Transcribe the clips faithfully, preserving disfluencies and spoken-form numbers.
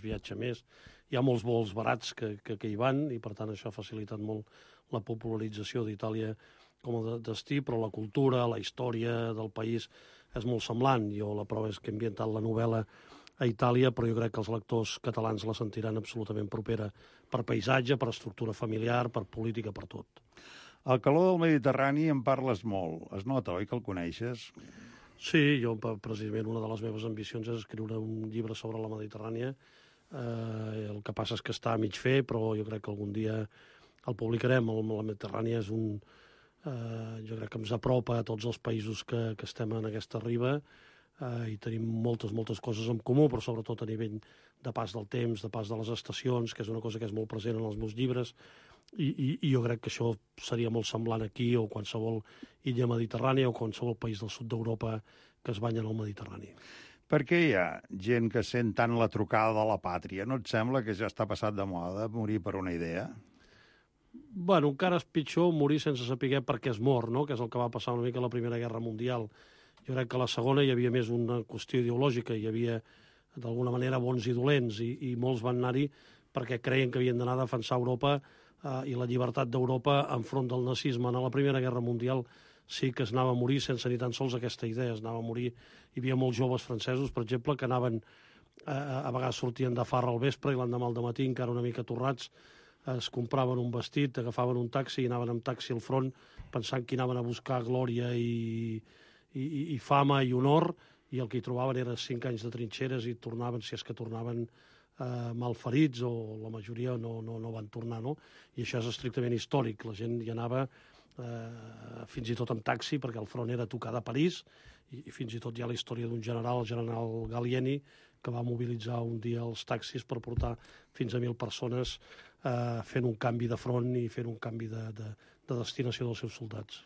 vegades viatja més. Hi ha molts vols barats que, que, que hi van i, per tant, això ha facilitat molt la popularització d'Itàlia com a destí, però la cultura, la història del país és molt semblant. Jo la prova és que he ambientat la novel·la a Itàlia, però jo crec que els lectors catalans la sentiran absolutament propera per paisatge, per estructura familiar, per política, per tot. El calor del Mediterrani en parles molt. Es nota, oi, que el coneixes? Sí, jo precisament una de les meves ambicions és escriure un llibre sobre la Mediterrània. Eh, el que passa és que està a mig fer, però jo crec que algun dia el publicarem. La Mediterrània és un... Eh, jo crec que ens apropa a tots els països que, que estem en aquesta riba eh, i tenim moltes, moltes coses en comú, però sobretot a nivell de pas del temps, de pas de les estacions, que és una cosa que és molt present en els meus llibres, i, i, i jo crec que això seria molt semblant aquí o qualsevol illa mediterrània o qualsevol país del sud d'Europa que es banya en el Mediterrani. Per què hi ha gent que sent tant la trucada de la pàtria? No et sembla que ja està passat de moda morir per una idea? Bueno, encara és pitjor morir sense saber per què es mor, no? Que és el que va passar una mica a la Primera Guerra Mundial. Jo crec que a la Segona hi havia més una qüestió ideològica, hi havia d'alguna manera bons i dolents, i, i molts van anar-hi perquè creien que havien d'anar a defensar Europa eh, i la llibertat d'Europa enfront del nazisme. En la Primera Guerra Mundial sí que es anava a morir sense ni tan sols aquesta idea, es anava a morir. Hi havia molts joves francesos, per exemple, que anaven, eh, a vegades sortien de farra al vespre i l'endemà al dematí encara una mica torrats, es compraven un vestit, agafaven un taxi i anaven amb taxi al front pensant que anaven a buscar glòria i, i, i fama i honor, i el que hi trobaven eren cinc anys de trinxeres i tornaven, si és que tornaven, eh, malferits, o la majoria no, no, no van tornar, no? I això és estrictament històric. La gent hi anava eh, fins i tot amb taxi, perquè el front era tocar de París, i, i fins i tot hi ha la història d'un general, el general Gallieni, que va mobilitzar un dia els taxis per portar fins a mil persones eh, fent un canvi de front i fent un canvi de, de, de destinació dels seus soldats.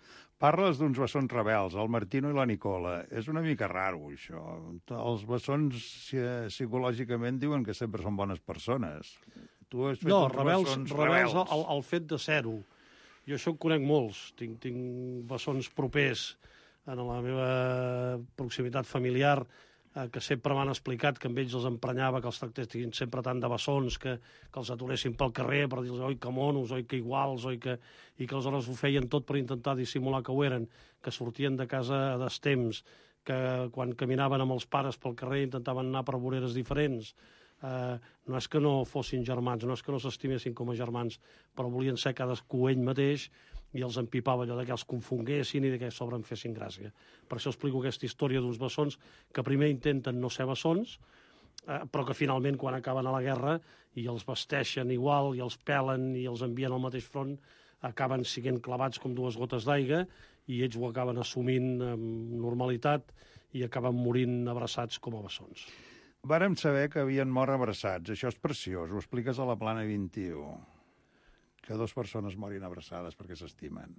Parles d'uns bessons rebels, el Martino i la Nicola. És una mica raro, això. Els bessons psicològicament diuen que sempre són bones persones. Tu has fet no, uns rebels, bessons rebels. rebels. El, el fet de ser-ho. Jo això en conec molts. Tinc, tinc bessons propers en la meva proximitat familiar, que sempre m'han explicat que amb ells els emprenyava que els tractessin sempre tant de bessons, que, que els aturessin pel carrer per dir-los oi que monos, oi que iguals, oi que... i que aleshores ho feien tot per intentar dissimular que ho eren, que sortien de casa a destemps, que quan caminaven amb els pares pel carrer intentaven anar per voreres diferents. Eh, no és que no fossin germans, no és que no s'estimessin com a germans, però volien ser cadascú ell mateix, i els empipava allò que els confonguessin i que a sobre en fessin gràcia. Per això explico aquesta història d'uns bessons que primer intenten no ser bessons, eh, però que finalment, quan acaben a la guerra i els vesteixen igual, i els pelen i els envien al mateix front, acaben sent clavats com dues gotes d'aigua i ells ho acaben assumint amb normalitat i acaben morint abraçats com a bessons. Vàrem saber que havien mort abraçats. Això és preciós. Ho expliques a la Plana vint-i-u. Que dues persones morin abraçades perquè s'estimen.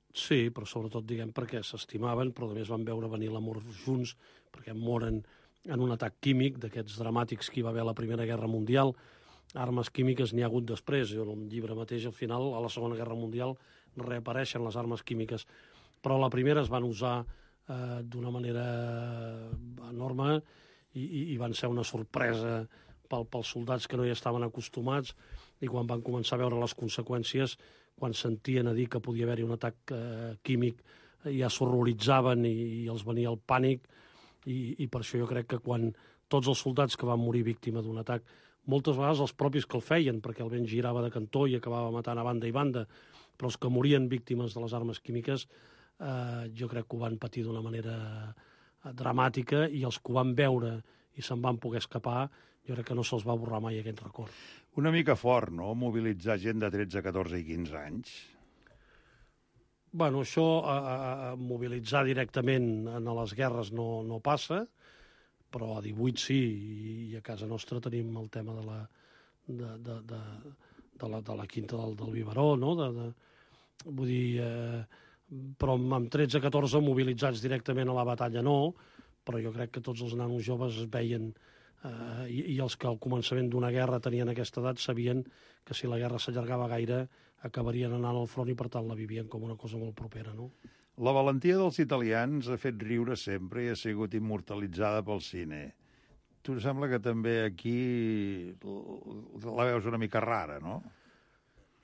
Sí, però sobretot, diguem, perquè s'estimaven, però a més van veure venir l'amor junts, perquè moren en un atac químic d'aquests dramàtics que hi va haver a la Primera Guerra Mundial. Armes químiques n'hi ha hagut després. Jo, en el llibre mateix, al final, a la Segona Guerra Mundial, reapareixen les armes químiques. Però la primera es van usar eh, d'una manera enorme i, i, i van ser una sorpresa pel, pels soldats que no hi estaven acostumats, i quan van començar a veure les conseqüències, quan sentien a dir que podia haver-hi un atac eh, químic, ja s'horroritzaven i, i els venia el pànic, i, i per això jo crec que quan tots els soldats que van morir víctima d'un atac, moltes vegades els propis que el feien, perquè el vent girava de cantó i acabava matant a banda i banda, però els que morien víctimes de les armes químiques, eh, jo crec que ho van patir d'una manera dramàtica, i els que ho van veure i se'n van poder escapar, jo crec que no se'ls va borrar mai aquest record. Una mica fort, no?, mobilitzar gent de tretze, catorze i quinze anys. Bueno, això, a, a mobilitzar directament en les guerres no, no passa, però a divuit sí, i a casa nostra tenim el tema de la, de, de, de, de la, de la quinta del, del biberó, no? De, de, vull dir, eh, però amb tretze, catorze mobilitzats directament a la batalla no, però jo crec que tots els nanos joves es veien, eh, i, i els que al començament d'una guerra tenien aquesta edat sabien que si la guerra s'allargava gaire acabarien anant al front, i per tant la vivien com una cosa molt propera, no? La valentia dels italians ha fet riure sempre i ha sigut immortalitzada pel cine. tu sembla que també aquí la veus una mica rara, no?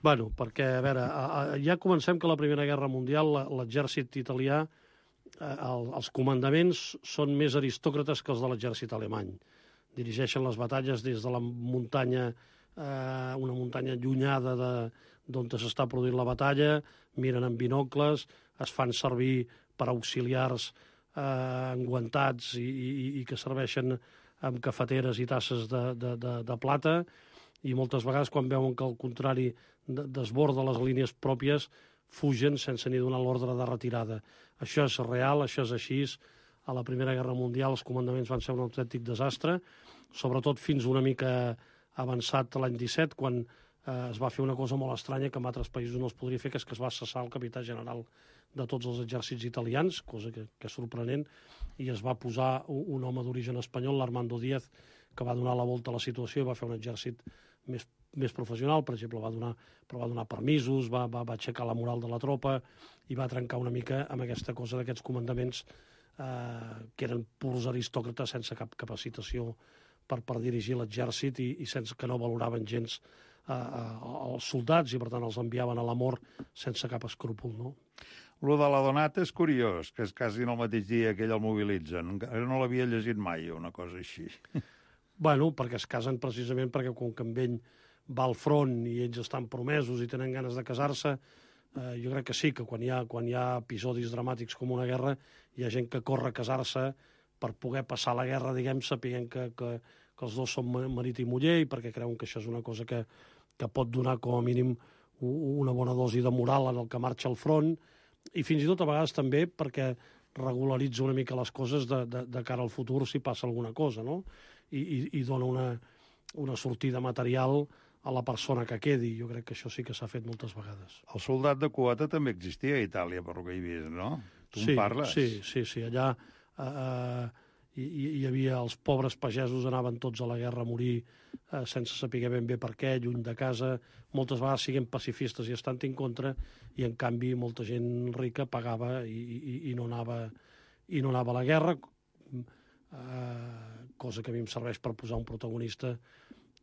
Bueno, perquè, a veure, a, a, ja comencem que la Primera Guerra Mundial l'exèrcit italià, eh, el, els comandaments són més aristòcrates que els de l'exèrcit alemany. Dirigeixen les batalles des de la muntanya, eh, una muntanya allunyada d'on s'està produint la batalla, miren amb binocles, es fan servir per auxiliars eh, enguantats i, i, i que serveixen amb cafeteres i tasses de, de, de, de plata, i moltes vegades quan veuen que al contrari desborda les línies pròpies fugen sense ni donar l'ordre de retirada. Això és real, això és així. A la Primera Guerra Mundial els comandaments van ser un autèntic desastre, sobretot fins una mica avançat l'any disset, quan eh, es va fer una cosa molt estranya que en altres països no es podria fer, que és que es va cessar el capità general de tots els exèrcits italians, cosa que, que és sorprenent, i es va posar un, un home d'origen espanyol, l'Armando Díaz, que va donar la volta a la situació i va fer un exèrcit més, més professional. Per exemple, va donar, però va donar permisos, va, va, va aixecar la moral de la tropa i va trencar una mica amb aquesta cosa d'aquests comandaments eh, que eren purs aristòcrates sense cap capacitació per, per dirigir l'exèrcit i, i sense que no valoraven gens eh, els soldats i, per tant, els enviaven a la mort sense cap escrúpol, no? Lo de la Donata és curiós, que és quasi en el mateix dia que ell el mobilitzen. Encara no l'havia llegit mai, una cosa així. Bueno, perquè es casen precisament perquè com que amb ell va al front i ells estan promesos i tenen ganes de casar-se, eh, jo crec que sí, que quan hi, ha, quan hi ha episodis dramàtics com una guerra, hi ha gent que corre a casar-se per poder passar la guerra, diguem, sapient que, que, que els dos són marit i muller, i perquè creuen que això és una cosa que, que pot donar com a mínim una bona dosi de moral en el que marxa al front, i fins i tot a vegades també perquè regularitza una mica les coses de, de, de cara al futur si passa alguna cosa, no? I, i, i dona una, una sortida material a la persona que quedi. Jo crec que això sí que s'ha fet moltes vegades. El soldat de quota també existia a Itàlia, per lo que he vist, no? Tu sí, en parles? Sí, sí, sí. Allà eh, hi, hi havia els pobres pagesos, anaven tots a la guerra a morir eh, sense saber ben bé per què, lluny de casa, moltes vegades siguent pacifistes i estant en contra, i en canvi molta gent rica pagava i, i, i, no, anava, i no anava a la guerra, eh, cosa que a mi em serveix per posar un protagonista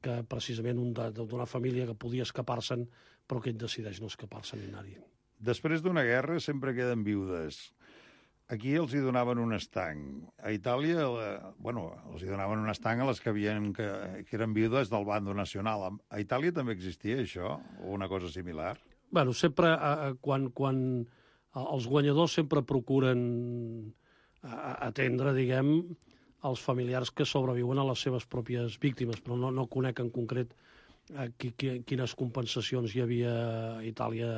que precisament un d'una família que podia escapar-se'n, però que ell decideix no escapar-se'n ni anar-hi. Després d'una guerra sempre queden viudes. Aquí els hi donaven un estanc. A Itàlia, eh, bueno, els hi donaven un estanc a les que, havien, que, que eren viudes del bando nacional. A Itàlia també existia això, o una cosa similar? Bueno, sempre, eh, quan, quan els guanyadors sempre procuren atendre, diguem, els familiars que sobreviuen a les seves pròpies víctimes, però no, no conec en concret eh, qui, qui, quines compensacions hi havia a Itàlia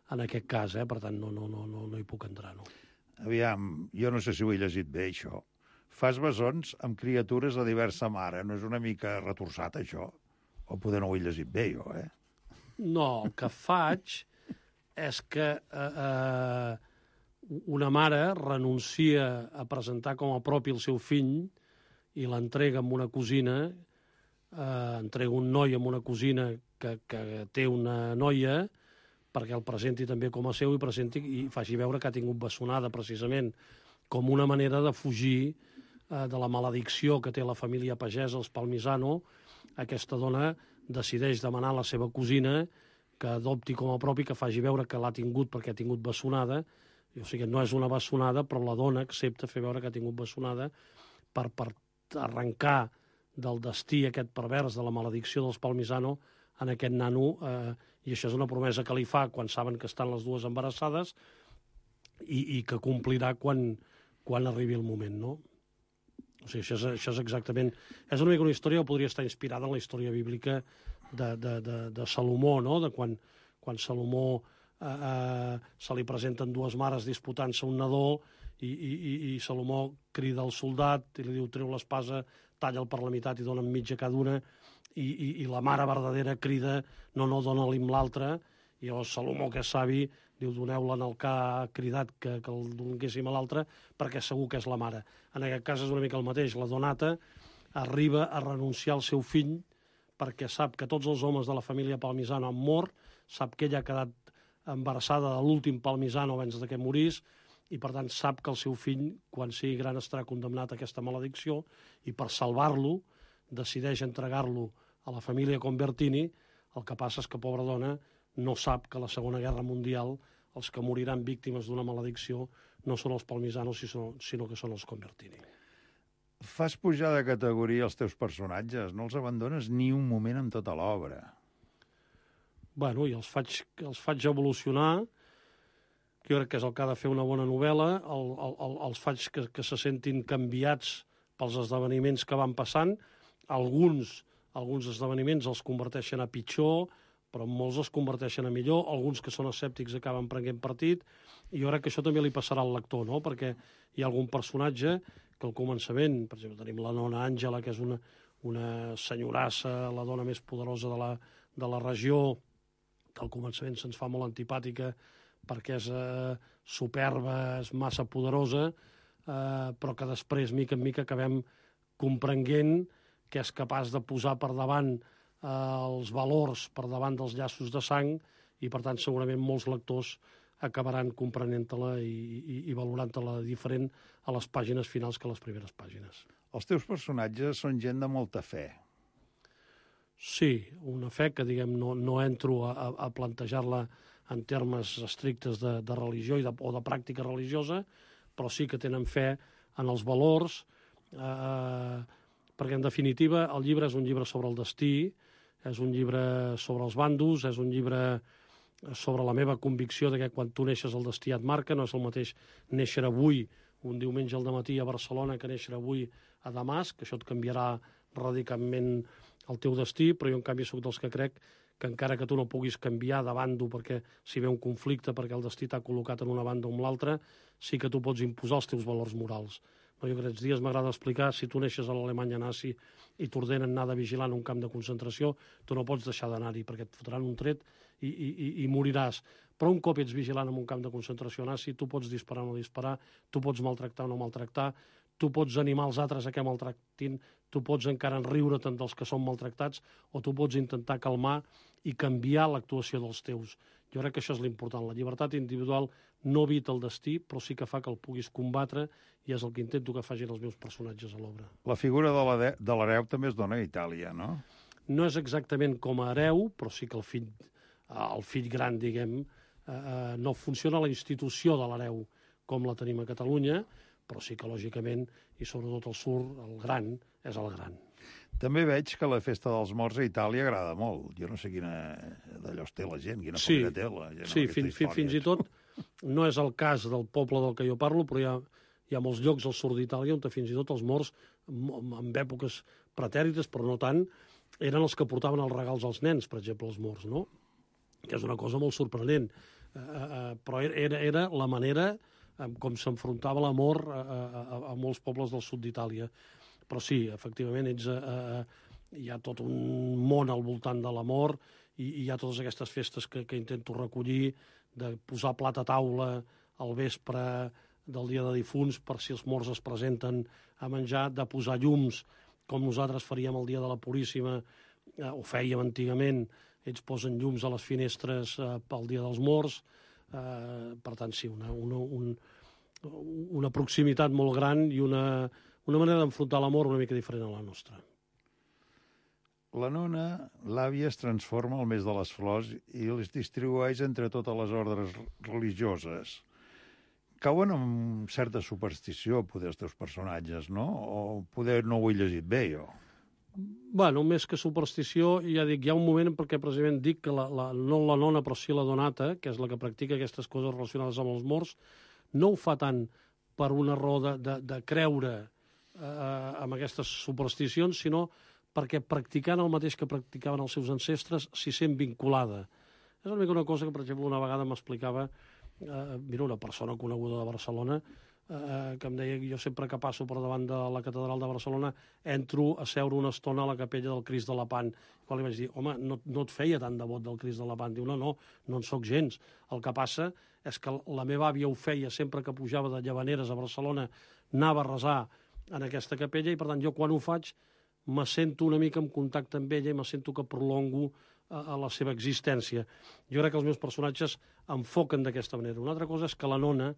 en aquest cas, eh? Per tant, no, no, no, no, no hi puc entrar, no. Aviam, jo no sé si ho he llegit bé, això. Fas bessons amb criatures de diversa mare. No és una mica retorçat, això? O poder no ho he llegit bé, jo, eh? No, el que faig és que eh, eh, una mare renuncia a presentar com a propi el seu fill i l'entrega amb una cosina, eh, entrega un noi amb una cosina que, que té una noia, perquè el presenti també com a seu i presenti i faci veure que ha tingut bessonada, precisament, com una manera de fugir eh, de la maledicció que té la família pagesa, els Palmisano. Aquesta dona decideix demanar a la seva cosina que adopti com a propi, que faci veure que l'ha tingut perquè ha tingut bessonada. O sigui, no és una bessonada, però la dona accepta fer veure que ha tingut bessonada per, per arrencar del destí aquest pervers de la maledicció dels Palmisano en aquest nano, eh, i això és una promesa que li fa quan saben que estan les dues embarassades i, i que complirà quan, quan arribi el moment, no? O sigui, això és, això és exactament... És una mica una història que podria estar inspirada en la història bíblica de, de, de, de Salomó, no? De quan, quan Salomó eh, eh, se li presenten dues mares disputant-se un nadó i, i, i Salomó crida al soldat i li diu treu l'espasa, talla'l per la meitat i dona mitja cada una. I, i, i la mare verdadera crida no, no, dona-li amb l'altra, i llavors Salomó, que és savi, diu doneu-la en el que ha cridat que, que el donéssim a l'altre perquè segur que és la mare. En aquest cas és una mica el mateix, la Donata arriba a renunciar al seu fill perquè sap que tots els homes de la família Palmisano han mort, sap que ella ha quedat embarassada de l'últim Palmisano abans que morís, i per tant sap que el seu fill, quan sigui gran, estarà condemnat a aquesta maledicció, i per salvar-lo decideix entregar-lo a la família Convertini. El que passa és que, pobra dona, no sap que a la Segona Guerra Mundial els que moriran víctimes d'una maledicció no són els Palmisanos, sinó que són els Convertini. Fas pujar de categoria els teus personatges, no els abandones ni un moment en tota l'obra. Bueno, i els faig, els faig evolucionar, que jo crec que és el que ha de fer una bona novel·la, el, el, els faig que, que se sentin canviats pels esdeveniments que van passant. Alguns, alguns esdeveniments els converteixen a pitjor, però molts els converteixen a millor. Alguns que són escèptics acaben prenent partit, i jo crec que això també li passarà al lector, no? Perquè hi ha algun personatge que al començament, per exemple, tenim la nona Àngela, que és una, una senyorassa, la dona més poderosa de la, de la regió, que al començament se'ns fa molt antipàtica perquè és eh, superba, és massa poderosa, eh, però que després, mica en mica, acabem comprenent que és capaç de posar per davant eh, els valors, per davant dels llaços de sang, i per tant segurament molts lectors acabaran comprenent-te-la i, i, i valorant-te-la diferent a les pàgines finals que a les primeres pàgines. Els teus personatges són gent de molta fe. Sí, una fe que, diguem, no, no entro a, a plantejar-la en termes estrictes de, de religió i de, o de pràctica religiosa, però sí que tenen fe en els valors, eh, perquè, en definitiva, el llibre és un llibre sobre el destí, és un llibre sobre els bandos, és un llibre sobre la meva convicció de que quan tu neixes el destí et marca. No és el mateix néixer avui, un diumenge al dematí a Barcelona, que néixer avui a Damasc, que això et canviarà radicalment el teu destí, però jo en canvi sóc dels que crec que encara que tu no puguis canviar de bando perquè si ve un conflicte, perquè el destí t'ha col·locat en una banda o en l'altra, sí que tu pots imposar els teus valors morals. No, jo aquests dies m'agrada explicar, si tu neixes a l'Alemanya nazi i t'ordenen anar de vigilant un camp de concentració, tu no pots deixar d'anar-hi perquè et fotran un tret i, i, i, i moriràs. Però un cop ets vigilant en un camp de concentració nazi, tu pots disparar o no disparar, tu pots maltractar o no maltractar, tu pots animar els altres a que maltractin, tu pots encara enriure tant dels que són maltractats, o tu pots intentar calmar i canviar l'actuació dels teus. Jo crec que això és l'important. La llibertat individual no evita el destí, però sí que fa que el puguis combatre, i és el que intento que facin els meus personatges a l'obra. La figura de l'hereu també es dona a Itàlia, no? No és exactament com a hereu, però sí que el fill, el fill gran, diguem, eh, no funciona la institució de l'hereu com la tenim a Catalunya, però sí que, lògicament, i sobretot el sur, el gran, és el gran. També veig que la festa dels morts a Itàlia agrada molt. Jo no sé quina d'allò té la gent, quina sí, família té la gent. Sí, fin, fin, fins i tot no és el cas del poble del que jo parlo, però hi ha, hi ha molts llocs al sud d'Itàlia on fins i tot els morts, en èpoques pretèrites, però no tant, eren els que portaven els regals als nens, per exemple, els morts, no? Que és una cosa molt sorprenent. Uh, uh, però era, era la manera com s'enfrontava la mort a, a, a molts pobles del sud d'Itàlia. Però sí, efectivament, ets, eh, hi ha tot un món al voltant de la mort, i, i hi ha totes aquestes festes que, que intento recollir, de posar plat a taula al vespre del dia de difunts per si els morts es presenten a menjar, de posar llums, com nosaltres faríem el dia de la Puríssima, eh, o fèiem antigament. Ells posen llums a les finestres eh, pel dia dels morts. Eh, per tant, sí, una, una, un, una proximitat molt gran i una, una manera d'enfrontar l'amor una mica diferent a la nostra. La nona, l'àvia, es transforma al mes de les flors i les distribueix entre totes les ordres religioses. Cauen amb certa superstició, poder, els teus personatges, no? O poder no ho he llegit bé, jo. Bueno, més que superstició, ja dic, hi ha un moment perquè precisament dic que la, la, no la nona, però sí la donata, que és la que practica aquestes coses relacionades amb els morts, no ho fa tant per una raó de, de, de creure eh, amb aquestes supersticions, sinó perquè practicant el mateix que practicaven els seus ancestres s'hi sent vinculada. És una mica una cosa que, per exemple, una vegada m'explicava eh, mira, una persona coneguda de Barcelona, eh, que em deia que jo sempre que passo per davant de la catedral de Barcelona entro a seure una estona a la capella del Crist de Lepant. Quan li vaig dir, home, no, no et feia tant devot del Crist de Lepant. Diu, no, no, no en soc gens. El que passa és que la meva àvia ho feia sempre que pujava de Llavaneres a Barcelona, anava a resar en aquesta capella, i per tant jo quan ho faig me sento una mica en contacte amb ella i me sento que prolongo a, a la seva existència. Jo crec que els meus personatges enfoquen d'aquesta manera. Una altra cosa és que la nona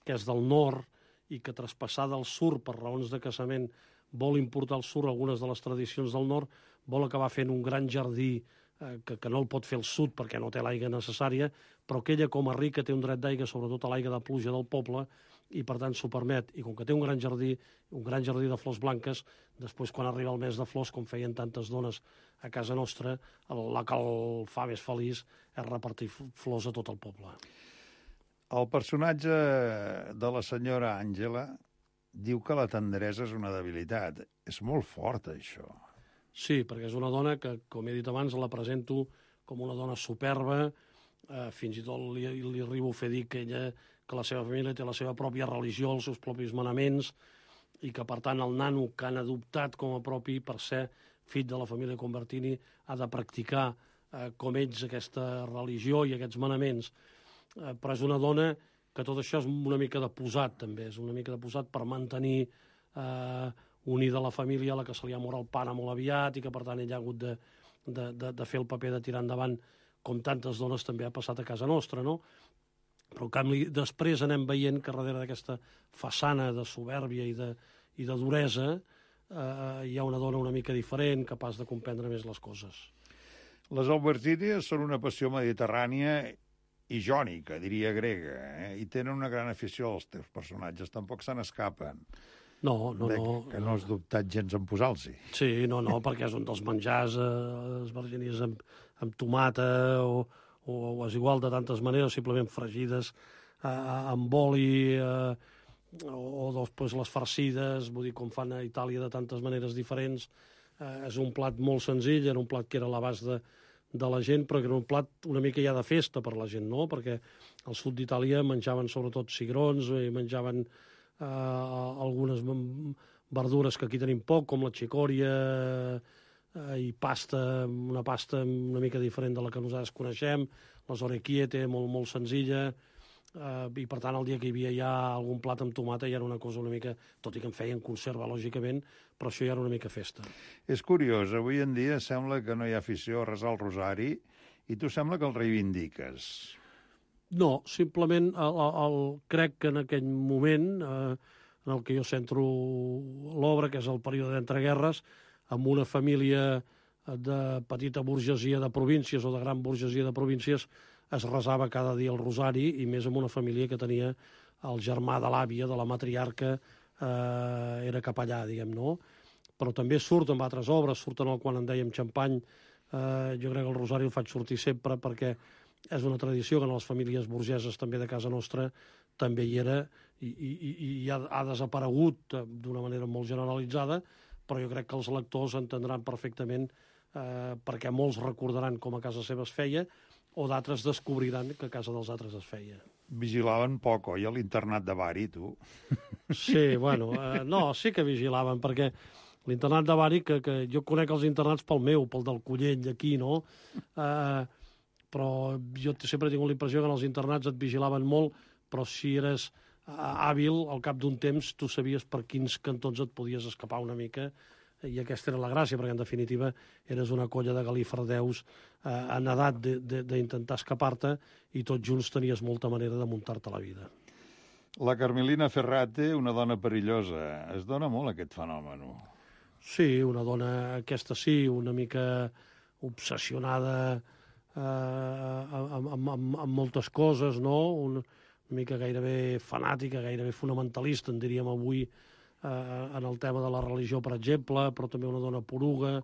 que és del nord i que traspassada al sud per raons de casament vol importar al sud algunes de les tradicions del nord, vol acabar fent un gran jardí eh, que, que no el pot fer al sud perquè no té l'aigua necessària, però que ella com a rica té un dret d'aigua, sobretot a l'aigua de pluja del poble, i per tant s'ho permet. I com que té un gran jardí, un gran jardí de flors blanques, després quan arriba el mes de flors, com feien tantes dones a casa nostra, el, la que el fa més feliç és repartir flors a tot el poble. El personatge de la senyora Àngela diu que la tendresa és una debilitat. És molt fort, això. Sí, perquè és una dona que, com he dit abans, la presento com una dona superba, eh, fins i tot li, li arribo a fer dir que ella, que la seva família té la seva pròpia religió, els seus propis manaments, i que, per tant, el nano que han adoptat com a propi per ser fill de la família Convertini ha de practicar eh, com ells aquesta religió i aquests manaments. Eh, però és una dona que tot això és una mica de posat, també. És una mica de posat per mantenir eh, unida la família a la que se li ha mort el pare molt aviat i que, per tant, ella ha hagut de, de, de, de fer el paper de tirar endavant com tantes dones també ha passat a casa nostra, no? Però, en canvi, després anem veient que darrere d'aquesta façana de supèrbia i de, i de duresa eh, hi ha una dona una mica diferent, capaç de comprendre més les coses. Les albergínies són una passió mediterrània i jònica, diria grega, eh? I tenen una gran afició als teus personatges, tampoc se n'escapen. No, no, de, no. Que no has dubtat gens en posar-los-hi. Sí, no, no, perquè és un dels menjars, eh, albergínies amb, amb tomata o, o, o és igual de tantes maneres, simplement fregides eh, amb oli eh, o, o després les farcides, vull dir, com fan a Itàlia de tantes maneres diferents. Eh, és un plat molt senzill, era un plat que era a l'abast de, de la gent, però que era un plat una mica ja de festa per la gent, no? Perquè al sud d'Itàlia menjaven sobretot cigrons i menjaven eh, algunes verdures que aquí tenim poc, com la xicòria eh, i pasta, una pasta una mica diferent de la que nosaltres coneixem, les orecchiette, molt, molt senzilla, eh, i per tant el dia que hi havia ja algun plat amb tomata ja era una cosa una mica, tot i que en feien conserva, lògicament, però això ja era una mica festa. És curiós, avui en dia sembla que no hi ha afició a resar el rosari i tu sembla que el reivindiques. No, simplement el, el, crec que en aquell moment, eh, en el que jo centro l'obra, que és el període d'entreguerres, amb una família de petita burgesia de províncies o de gran burgesia de províncies, es resava cada dia el rosari, i més amb una família que tenia el germà de l'àvia, de la matriarca, eh, era capellà, diguem, no? Però també surt amb altres obres, surt en el Quan en dèiem Xampany, eh, jo crec que el rosari el faig sortir sempre perquè és una tradició que en les famílies burgeses també de casa nostra també hi era i, i, i ha, ha desaparegut d'una manera molt generalitzada, però jo crec que els lectors entendran perfectament eh, perquè molts recordaran com a casa seva es feia o d'altres descobriran que a casa dels altres es feia. Vigilaven poc, oi, a l'internat de Bari, tu? Sí, bueno, eh, no, sí que vigilaven, perquè l'internat de Bari, que, que jo conec els internats pel meu, pel del Collell, aquí, no? Eh, però jo sempre he tingut la impressió que en els internats et vigilaven molt, però si eres hàbil, al cap d'un temps tu sabies per quins cantons et podies escapar una mica, i aquesta era la gràcia, perquè en definitiva eres una colla de galifardeus eh, en edat d'intentar escapar-te i tots junts tenies molta manera de muntar-te la vida. La Carmelina Ferrate, una dona perillosa. Es dona molt aquest fenomen. Sí, una dona, aquesta sí, una mica obsessionada eh, amb, amb, amb, amb moltes coses, no? Una, una mica gairebé fanàtica, gairebé fonamentalista, en diríem avui, eh, en el tema de la religió, per exemple, però també una dona poruga,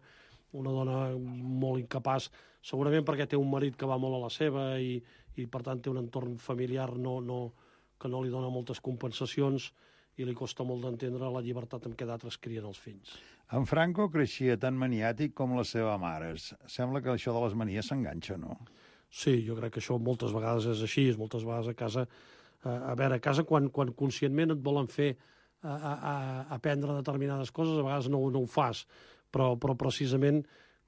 una dona molt incapaç, segurament perquè té un marit que va molt a la seva i, i per tant té un entorn familiar no, no, que no li dona moltes compensacions i li costa molt d'entendre la llibertat amb què d'altres crien els fills. En Franco creixia tan maniàtic com la seva mare. Sembla que això de les manies s'enganxa, no? Sí, jo crec que això moltes vegades és així, moltes vegades a casa... A veure, a casa quan, quan conscientment et volen fer a, a, a aprendre determinades coses, a vegades no, no ho fas, però, però precisament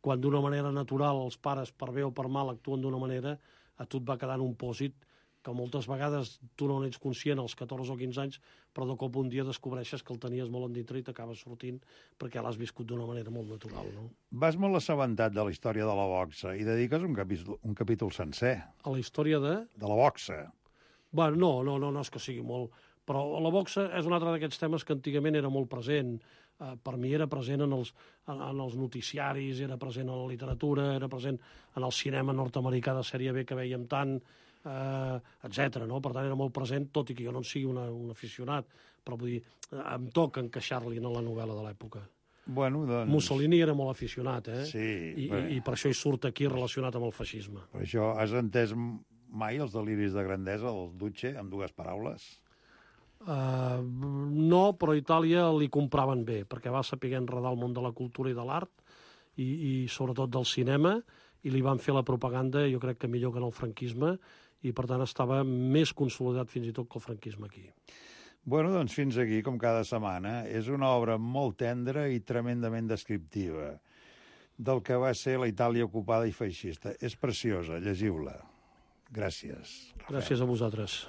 quan d'una manera natural els pares, per bé o per mal, actuen d'una manera, a tu et va quedant un pòsit que moltes vegades tu no n'ets conscient als catorze o quinze anys, però de cop un dia descobreixes que el tenies molt endintre i t'acabes sortint perquè l'has viscut d'una manera molt natural, no? Vas molt assabentat de la història de la boxa i dediques un capítol, un capítol sencer. A la història de... De la boxa. Bueno, no, no, no, no és que sigui molt, Però la boxa és un altre d'aquests temes que antigament era molt present. Uh, per mi era present en els, en, en els noticiaris, era present en la literatura, era present en el cinema nord-americà de sèrie B que veiem tant, uh, etcètera. No? Per tant, era molt present, tot i que jo no en sigui una, un aficionat, però vull dir, em toca encaixar-li en la novel·la de l'època. Bueno, doncs... Mussolini era molt aficionat, eh? Sí. I, però... i, I per això hi surt aquí relacionat amb el feixisme. Per això, has entès mai els deliris de grandesa del Duce, amb dues paraules? Uh, no, però a Itàlia li compraven bé, perquè va saber enredar el món de la cultura i de l'art, i, i sobretot del cinema, i li van fer la propaganda, jo crec que millor que en el franquisme, i per tant estava més consolidat fins i tot que el franquisme aquí. Bueno, doncs fins aquí, com cada setmana. És una obra molt tendra i tremendament descriptiva del que va ser la Itàlia ocupada i feixista. És preciosa, llegiu-la. Gràcies. Gràcies a vosaltres.